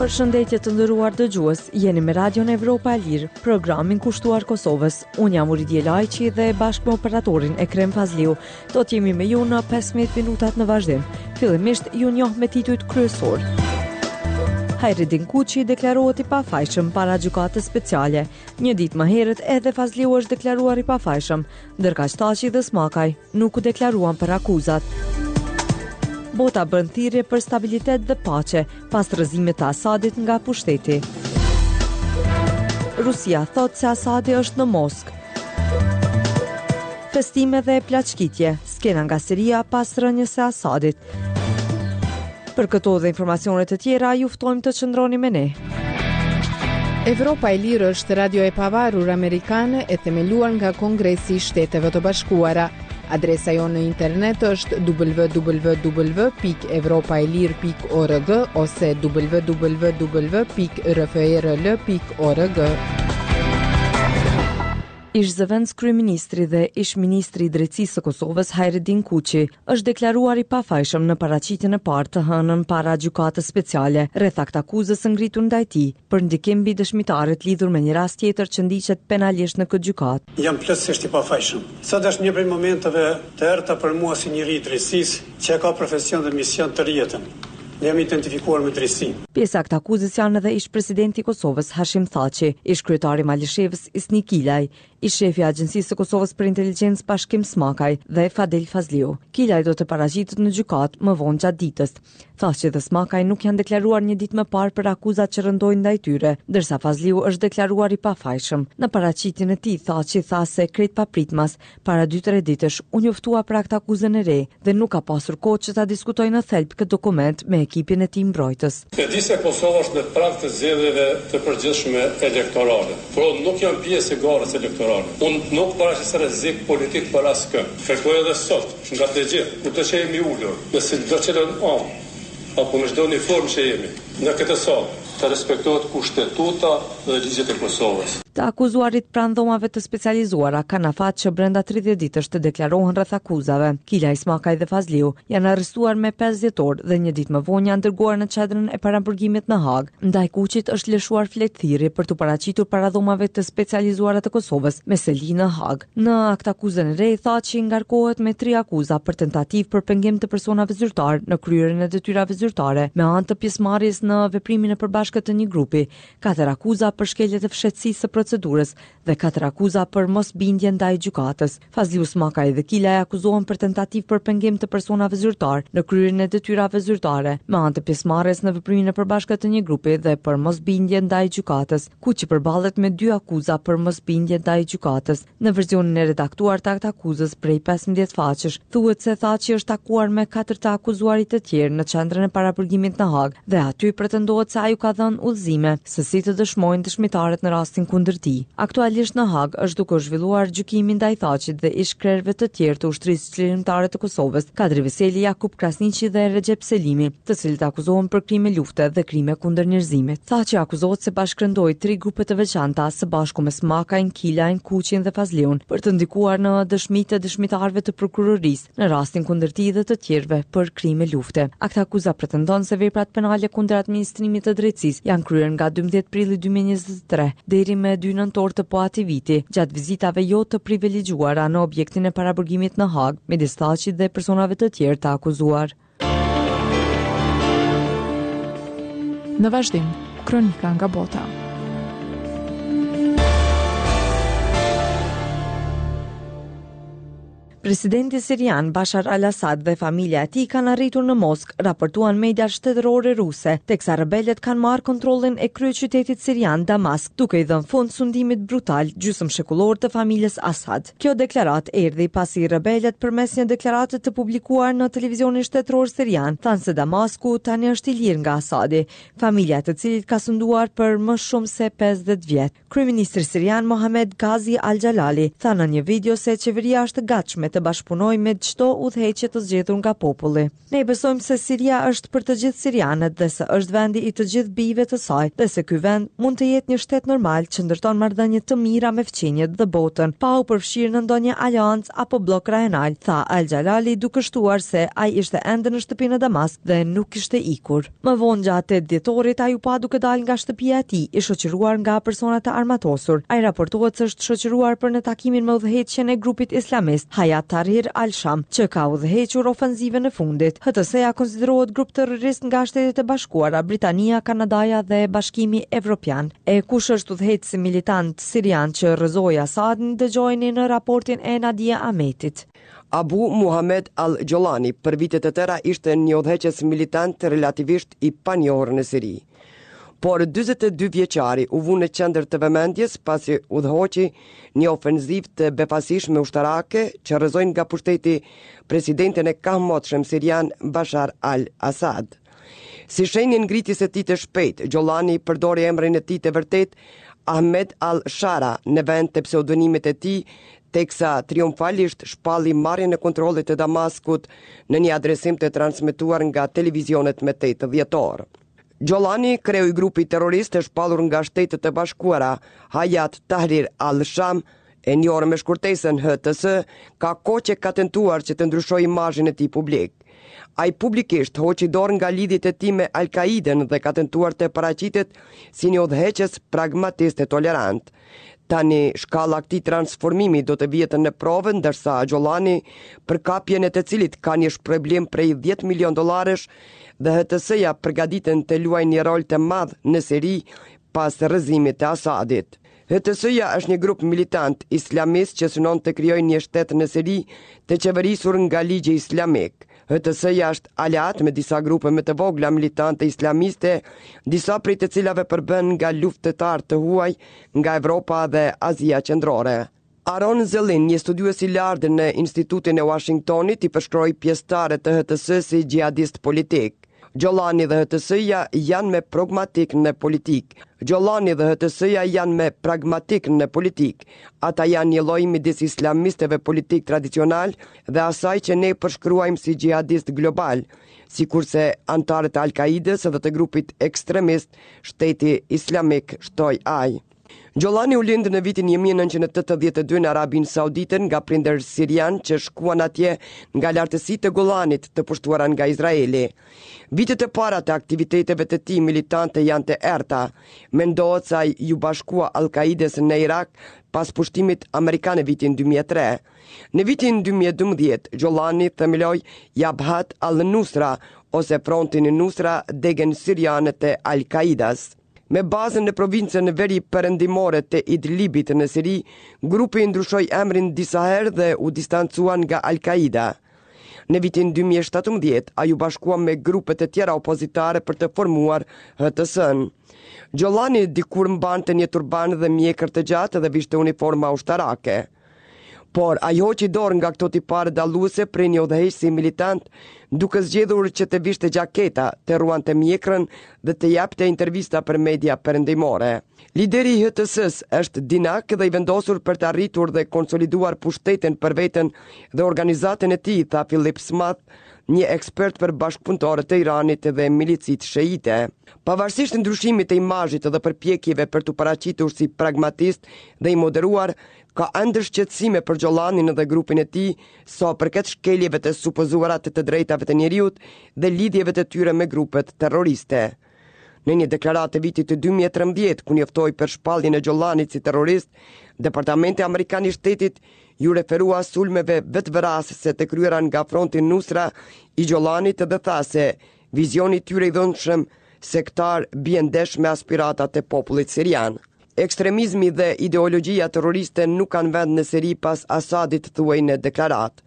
Përshëndetje të nderuar dëgjues, jeni me Radion Evropa e Lirë, programin kushtuar Kosovës. Unë jam Uridje Lajçi dhe bashkë me operatorin Ekrem Fazliu, do të jemi me ju në 15 minutat në vazhdim. Fillimisht ju njoh me titujt kryesorë. Hajredin Kuçi deklarohet i pafajshëm para gjykatës speciale. Një ditë më herët edhe Fazliu është deklaruar i pafajshëm, ndërkaq Thaçi dhe Smakaj nuk u deklaruan për akuzat. Bota bën thirrje për stabilitet dhe paqe pas rrëzimit të Asadit nga pushteti. Rusia thotë se Asadi është në Moskë. Festime dhe plaçkitje, skena nga Siria pas rënies së Asadit. Për këto dhe informacione të tjera, ju ftojmë të qëndroni me ne. Evropa e Lirë është radio e pavarur amerikane e themeluar nga Kongresi i Shteteve të Bashkuara. Adresa jonë në internet është www.evropaelire.org ose www.rfrl.org. Ish-zëvendëskryeministri dhe ish-ministri i Drejtësisë së Kosovës, Hajredin Kuçi, është deklaruar i pafajshëm në paraqitjen e parë të hënën para Gjykatës Speciale rreth aktakuzës së ngritur ndaj tij për ndikim mbi dëshmitarët lidhur me një rast tjetër që ndiqet penalisht në këtë gjykatë. Jam plotësisht i pafajshëm. Sot është një prej momenteve të errëta për mua si njeri i drejtësisë, që e ka profesion dhe mision tërë jetën. Jam identifikuar me drejtësinë. Pjesë e aktakuzës janë edhe ish-presidenti i Kosovës, Hashim Thaçi, ish-kryetari i Malishevës, Isni Kilaj, ish-shefi i Agjencisë së Kosovës për Inteligjencë, Bashkim Smakaj dhe Fadil Fazliu. Kilaj do të paraqitet në gjykatë më vonë gjatë ditës. Thaçi dhe Smakaj nuk janë deklaruar një ditë më parë për akuzat që rëndojnë ndaj tyre, ndërsa Fazliu është deklaruar i pafajshëm. Në paraqitjen e tij, Thaçi tha se krejt papritmas, Para dy-tre ditësh u njoftua për aktakuzën e re dhe nuk ka pasur kohë që ta diskutojë në thelb këtë dokument me ekipin e tij mbrojtës. E di se Kosova është në prag të zgjedhjeve të përgjithshme elektorale, por unë nuk jam pjesë e garës elektorale. Unë nuk paraqes rrezik politik për askënd. Kërkoj edhe sot nga të gjithë, kudo që jemi ulur, në secilën anë apo në çdo uniformë që jemi, në këtë sallë, të respektohet Kushtetuta dhe ligjet e Kosovës. Të akuzuarit pranë Dhomave të Specializuara kanë afat që brenda 30 ditësh të deklarohen rreth akuzave. Kilaj, Smakaj dhe Fazliu janë arrestuar me 5 dhjetor dhe një ditë më vonë janë dërguar në qendrën e paraburgimit në Hagë. Ndaj Kuçit është lëshuar fletëthirrje për t'u paraqitur para Dhomave të Specializuara të Kosovës me seli në Hagë. Në aktakuzën e re, Thaçi ngarkohet me tri akuza për tentativë për pengim të personave zyrtarë në kryerjen e detyrave zyrtare me anë të pjesëmarrjes në veprimin e përbashkët të një grupi, katër akuza për shkelje të fshehtësisë së procedurës dhe katër akuza për mosbindje ndaj gjykatës. Fazliu Smakaj dhe Kilaj akuzohen për tentativë për pengim të personave zyrtarë në kryerjen e detyrave zyrtare me anë të pjesëmarrjes në veprimin e përbashkët të një grupi dhe për mosbindje ndaj gjykatës. Kuçi përballet me dy akuza për mosbindje ndaj gjykatës. Në versionin e redaktuar të aktakuzës prej 15 faqesh, thuhet se Thaçi është takuar me katër të akuzuarit të tjerë në qendrën e paraburgimit në Hagë dhe aty pretendohet se ai u ka dhënë udhëzime se si të dëshmojnë dëshmitarët në rastin kundër tij. Aktualisht në Hagë është duke u zhvilluar gjykimi ndaj Thaçit dhe ish-krerëve të tjerë të Ushtrisë Çlirimtare të Kosovës, Kadri Veseli, Jakup Krasniqi dhe Rexhep Selimi, të cilët akuzohen për krime lufte dhe krime kundër njerëzimit. Thaçi akuzohet se bashkërendoi tri grupe të veçanta së bashku me Smakajn, Kilajn, Kuçin dhe Fazliun për të ndikuar në dëshmitë e dëshmitarëve të prokurorisë në rastin kundër tij dhe të tjerëve për krime lufte. Aktakuza pretendon se veprat penale kundër administrimit të drejtësisë janë kryer nga 12 prilli 2023 deri me 2 nëntor të po atij viti, gjatë vizitave jo të privilegjuara në objektin e paraburgimit në Hagë, midis Thaçit dhe personave të tjerë të akuzuar. Në vazhdim, kronika nga bota. Presidenti sirian Bashar al-Assad dhe familja e tij kanë arritur në Moskë, raportuan mediat shtetërore ruse, teksa rebelët kanë marrë kontrollin e kryeqytetit sirian Damask, duke i dhënë fund sundimit brutal gjysmëshekullor të familjes Assad. Kjo deklaratë erdhi pasi rebelët përmes një deklarate të publikuar në televizionin shtetëror sirian thanë se Damasku tani është i lirë nga Assadi, familja e të cilit ka sunduar për më shumë se 50 vjet. Kryeministri sirian Mohamed Ghazi al-Jalali tha në një video se qeveria është e gatshme të. të bashkëpunojë me çdo udhëheqje të zgjedhur nga populli. Ne besojmë se Siria është për të gjithë sirianët dhe se është vendi i të gjithë bijve të saj dhe se ky vend mund të jetë një shtet normal që ndërton marrëdhënie të mira me fqinjët dhe botën, pa u përfshirë në ndonjë aleancë apo bllok rajonal, tha Al-Jalali duke shtuar se ai ishte ende në shtëpi në Damask dhe nuk kishte ikur. Më vonë gjatë 8 dhjetorit ai u pa duke dalë nga shtëpia e tij, i shoqëruar nga persona të armatosur. Ai raportohet se është shoqëruar për në takimin me udhëheqjen e grupit islamist Hayat Tahrir al-Sham, që ka udhëhequr ofenzivën e fundit. HTS-ja konsiderohet grup terrorist nga Shtetet e Bashkuara, Britania, Kanadaja dhe Bashkimi Evropian. E kush është udhëheqësi militant sirian që rrëzoi Asadin, dëgjojeni në raportin e Nadia Ahmetit. Abu Muhamed al-Jolani për vite të tëra ishte një udhëheqës militant relativisht i panjohur në Siri. Por 42 vjeçari u vu në qendër të vëmendjes pasi udhëhoqi një ofenzivë të befasishme ushtarake që rrëzoi nga pushteti presidentin e kahmotshëm sirian Bashar al-Assad. Si shenjë e ngritjes së tij të shpejtë, Jolani përdori emrin e tij të vërtetë Ahmed al-Shara në vend të pseudonimit të tij, teksa triumfalisht shpalli marrjen e kontrollit të Damaskut në një adresim të transmetuar nga televizionet më 8 dhjetor. Jolani, kreu i grupit terrorist të shpallur nga Shtetet e Bashkuara, Hayat Tahrir al-Sham, e njohur me shkurtesën HTS, ka kohë që ka tentuar që të ndryshojë imazhin e tij publik. Ai publikisht hoqi dorë nga lidhjet e tij me Al-Qaidën dhe ka tentuar të paraqitet si një udhëheqës pragmatist e tolerant. Tani, shkalla e këtij transformimi do të vihet në provë, ndërsa Jolani, për kapjen e të cilit ka një shpërblim prej 10 milion dollarësh dhe HTS-ja përgatiten të luajnë një rol të madh në Siri pas rrëzimit të Asadit. HTS-ja është një grup militant islamist që synon të krijojë një shtet në Siri të qeverisur nga ligji islamik. HTS-ja është aleat me disa grupe më të vogla militante islamiste, disa prej të cilave përbëhen nga luftëtarë të huaj nga Evropa dhe Azia Qendrore. Aaron Zelin, një studiues i lartë në Institutin e Washingtonit, i përshkroi pjesëtarët e HTS si xhihadistë politikë. Jolani dhe HTS-ja janë më pragmatikë në politikë. Jolani dhe HTS-ja janë më pragmatikë në politikë. Ata janë një lloj midis islamistëve politikë tradicionalë dhe asaj që ne përshkruajmë si xhihadistë globalë, sikurse anëtarët e Al-Qaidës dhe të grupit ekstremist Shteti Islamik, shtoi ai. Jolani u lind në vitin 1982 në Arabinë Saudite nga prindër sirianë që shkuan atje nga lartësitë e Golanit të pushtuara nga Izraeli. Vitet e para të aktiviteteve të tij militante janë të errëta. Mendohet se ai iu bashkua Al-Qaidës në Irak pas pushtimit amerikan në vitin 2003. Në vitin 2012, Jolani themeloi Jabhat al-Nusra ose Frontin Nusra, degën siriane të Al-Qaidas. Me bazën në provincën veri-perëndimore të Idlibit në Siri, grupi ndryshoi emrin disa herë dhe u distancua nga Al-Qaida. Në vitin 2017, ai u bashkua me grupe të tjera opozitare për të formuar HTS-n. Jolani dikur mbante një turban dhe mjekër të gjatë dhe vishte uniforma ushtarake. Por ai hoqi dorë nga këto tipare dalluese prej një udhëheqësi militant, duke zgjedhur që të vishte xhaketa, të rruante mjekrën dhe të jepte intervista për media perëndimore. Lideri i HTS-së është dinak dhe i vendosur për të arritur dhe konsoliduar pushtetin për veten dhe organizatën e tij, tha Philip Smith, një ekspert për bashkëpunëtorët e Iranit dhe milicitë shiite. Pavarësisht ndryshimit të imazhit dhe përpjekjeve për t'u paraqitur si pragmatist dhe i moderuar, Ka ende shqetësime për Xholanin dhe grupin e tij sa i përket shkeljeve të supozuara të të drejtave të njeriut dhe lidhjeve të tyre me grupet terroriste. Në një deklaratë të vitit 2013, ku njoftoi për shpalljen e Xholanit si terrorist, Departamenti Amerikan i Shtetit iu referua sulmeve vetëvrasëse të kryera nga fronti Nusra i Xholanit dhe tha se vizioni i tyre i dhunshëm sektar bie ndesh me aspiratat e popullit sirian. Ekstremizmi dhe ideologjia terroriste nuk kanë vend në Siri pas Asadit, thuhej në deklaratë.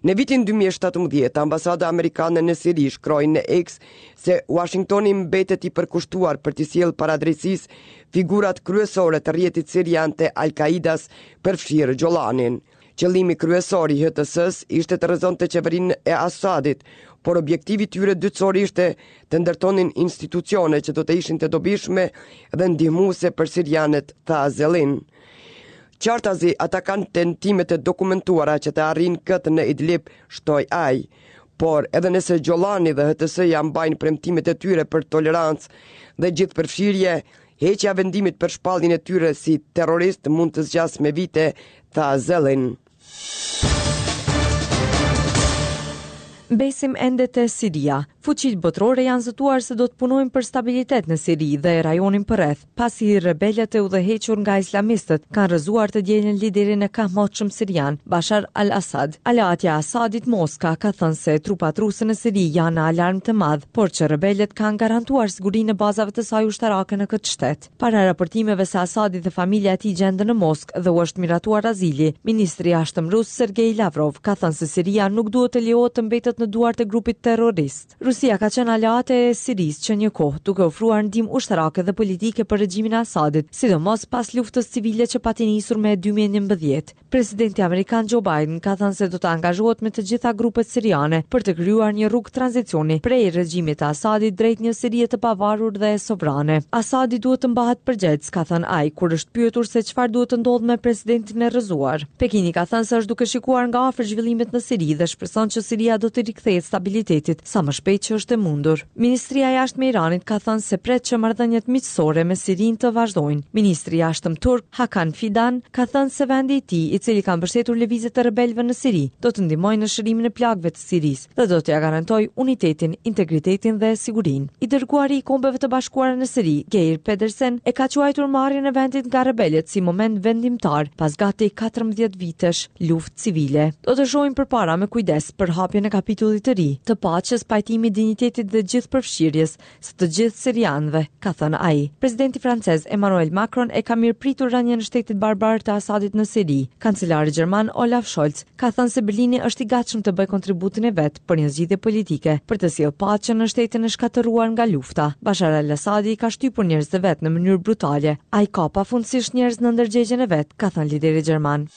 Në vitin 2017, ambasada amerikane në Siri shkroi në X se Washingtoni mbetet i përkushtuar për t'i sjellë para drejtësisë figurat kryesore të rrjetit sirian të Al-Qaidas, përfshirë Xholanin. Qëllimi kryesor i HTS-së ishte të rrëzonte qeverinë e Assadit, por objektivi i tyre dytësor ishte të ndërtonin institucione që do të ishin të dobishme dhe ndihmuese për sirianët, tha Zelin. Qartazi, ata kanë tentime të dokumentuara që të arrijnë këtë në Idlib, shtoi ai. Por, edhe nëse Xholani dhe HTS-ja mbajnë premtimet e tyre për tolerancë dhe gjithëpërfshirje, heqja e vendimit për shpalljen e tyre si terroristë mund të zgjasë me vite, tha Zelin. Mbesim ende te Siria. Fuqitë botërore janë zotuar se do të punojnë për stabilitet në Siri dhe rajonin përreth, pasi rebelët e udhëhequr nga islamistët kanë rrëzuar të dielën liderin e kahmotshëm sirian, Bashar al-Assad. Aleatja e Assadit, Moska, ka thënë se trupat ruse në Siri janë në alarm të madh, por që rebelët kanë garantuar sigurinë e bazave të saj ushtarake në këtë shtet. Para raportimeve se Asadi dhe familja e tij gjenden në Moskë dhe u është miratuar azili, ministri i Jashtëm rus Sergei Lavrov ka thënë se Siria nuk duhet të lejohet të mbetet në duart e grupit terrorist. Rusia ka qenë aleate e Sirisë që një kohë, duke ofruar ndihmë ushtarake dhe politike për regjimin e Asadit, sidomos pas luftës civile që pati nisur me 2011. Presidenti amerikan Joe Biden ka thënë se do të angazhohet me të gjitha grupet siriane për të krijuar një rrugë tranzicioni prej regjimit të Asadit drejt një Sirie të pavarur dhe sovrane. Asadi duhet të mbahet përgjegjës, ka thënë ai, kur është pyetur se çfarë duhet të ndodhë me presidentin e rrëzuar. Pekini ka thënë se është duke shikuar nga afër zhvillimet në Siri dhe shpreson që Siria do t'i rikthehet stabilitetit sa më shpejt që është e mundur. Ministria e Jashtme e Iranit ka thënë se pret që marrëdhëniet miqësore me Sirinë të vazhdojnë. Ministri i Jashtëm turk, Hakan Fidan, ka thënë se vendi i tij, i cili ka mbështetur lëvizjet e rebelëve në Siri, do të ndihmojë në shërimin e plagëve të Sirisë dhe do t'ia garantojë unitetin, integritetin dhe sigurinë. I dërguari i Kombeve të Bashkuara në Siri, Geir Pedersen, e ka quajtur marrjen e vendit nga rebelët si moment vendimtar pas gati 14 vitesh luftë civile. Do të shohim përpara me kujdes për hapjen e kapitullit të ri, të paqes, pajtimit, dinjitetit dhe gjithëpërfshirjes, së të gjithë sirianëve, ka thënë ai. Presidenti francez Emmanuel Macron e ka mirëpritur rënien e shtetit barbar të Asadit në Siri. Kancelari gjerman Olaf Scholz ka thënë se Berlini është i gatshëm të bëjë kontributin e vet për një zgjidhje politike, për të sjellë paqen në shtetin e shkatërruar nga lufta. Bashar al-Assadi i ka shtypur njerëzit e vet në mënyrë brutale. Ai ka pafundësisht njerëz në ndërgjegjen e vet, ka thënë lideri gjerman.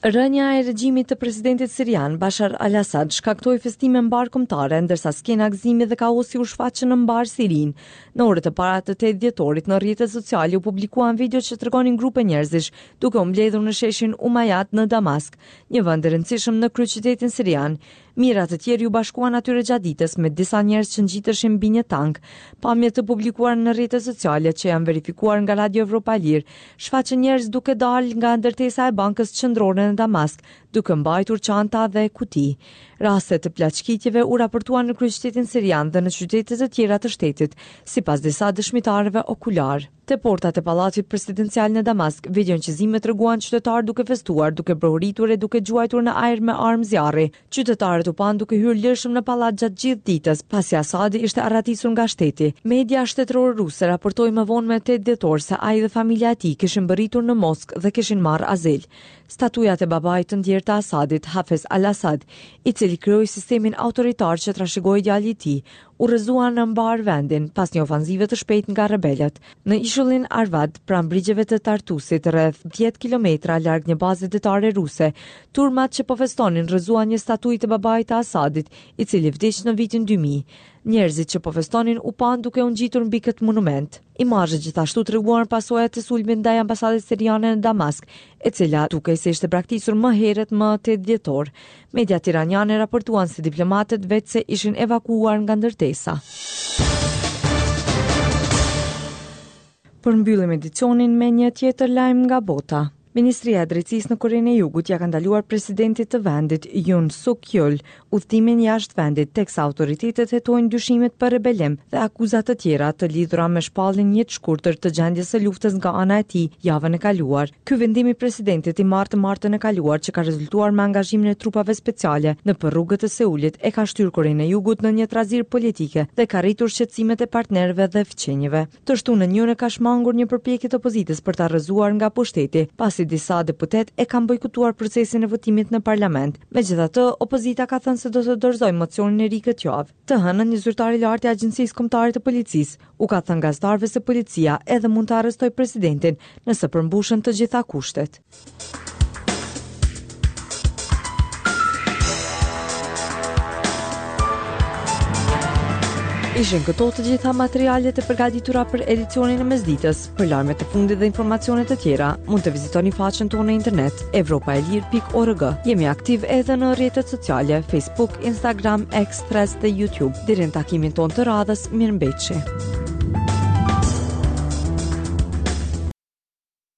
Rënia e regjimit të presidentit sirian, Bashar al-Assad, shkaktoi festime mbarëkombëtare, ndërsa skena gëzimi dhe kaosi u shfaqën në mbarë Sirinë. Në orët e para të 8 dhjetorit, në rrjetet sociale u publikuan video që tregonin grupe njerëzish duke u mbledhur në sheshin Umayyad në Damask, një vend i rëndësishëm në kryeqytetin sirian. Mijëra të tjerë iu bashkuan atyre gjatë ditës, me disa njerëz që ngjiteshin mbi një tank. Pamje të publikuara në rrjetet sociale që janë verifikuar nga Radio Evropa e Lirë, shfaqën njerëz duke dalë nga ndërtesa e Bankës Qendrore në Damask, duke mbajtur çanta dhe kuti. Raste të plaçkitjeve u raportuan në kryeqytetin sirian dhe në qytete të tjera të shtetit, sipas disa dëshmitarëve okularë. Te portat e pallatit presidencial në Damask, videoincizimet treguan qytetarë duke festuar, duke brohoritur e duke gjuajtur në ajër me armë zjarri. Qytetarët u panë duke hyrë lirshëm në pallat gjatë gjithë ditës, pasi Asadi ishte arratisur nga shteti. Media shtetërore ruse raportoi më vonë më 8 dhjetor se ai dhe familja e tij kishin mbërritur në Moskë dhe kishin marrë azil. Statujat e babait të ndjerë të Asadit, Hafez al-Assad, i cili krijoi sistemin autoritar që trashëgoi djali i tij, u rrëzuan në mbarë vendin pas një ofanzive të shpejtë nga rebelët. Në ishullin Arvad, pranë brigjeve të Tartusit, rreth 10 kilometra larg një baze detare ruse, turmat që po festonin rrëzuan një statujë të babait të Asadit, i cili vdiq në vitin 2000. Njerëzit që po festonin u panë duke u ngjitur mbi këtë monument. Imazhet gjithashtu treguan pasojat e sulmit ndaj ambasadës siriane në Damask, e cila dukej se ishte braktisur më herët më 8 dhjetor. Mediat iraniane raportuan se diplomatët veçse ishin evakuuar nga ndërtesa. Përmbyllim edicionin me një tjetër lajm nga bota. Ministria e Drejtësisë në Korenë e Jugut ia ka ndaluar presidentit të vendit Yoon Suk Yeol udhëtimin jashtë vendit, teksa autoritetet hetojnë dyshimet për rebelim dhe akuza të tjera të lidhura me shpalljen jetëshkurtër të gjendjes së luftës nga ana e tij javën e kaluar. Ky vendim i presidentit i marrë të martën e kaluar që ka rezultuar me angazhimin e trupave speciale nëpër rrugët e Seulit e ka shtyrë Korenë e Jugut në një trazirë politike dhe ka rritur shqetësimet e partnerëve dhe fqinjëve. Të shtunën Yoon e ka shmangur një përpjekje të opozitës për ta rrëzuar nga pushteti, pasi disa deputetë e kanë bojkotuar procesin e votimit në parlament. Megjithatë, opozita ka thënë se do të dorëzojë mocionin e ri këtë javë. Të hënën, një zyrtar i lartë i Agjencisë Kombëtare të Policisë u ka thënë gazetarëve se policia edhe mund të arrestojë presidentin nëse përmbushen të gjitha kushtet. Ishin këto të gjitha materialet e përgatitura për edicionin e mesditës. Për lajmet e fundit dhe informacione të tjera, mund të vizitoni faqen tonë në internet evropaelire.org. Jemi aktiv edhe në rrjetet sociale Facebook, Instagram, X, Threads dhe YouTube. Deri në takimin tonë të radhës, mirëmbetshi.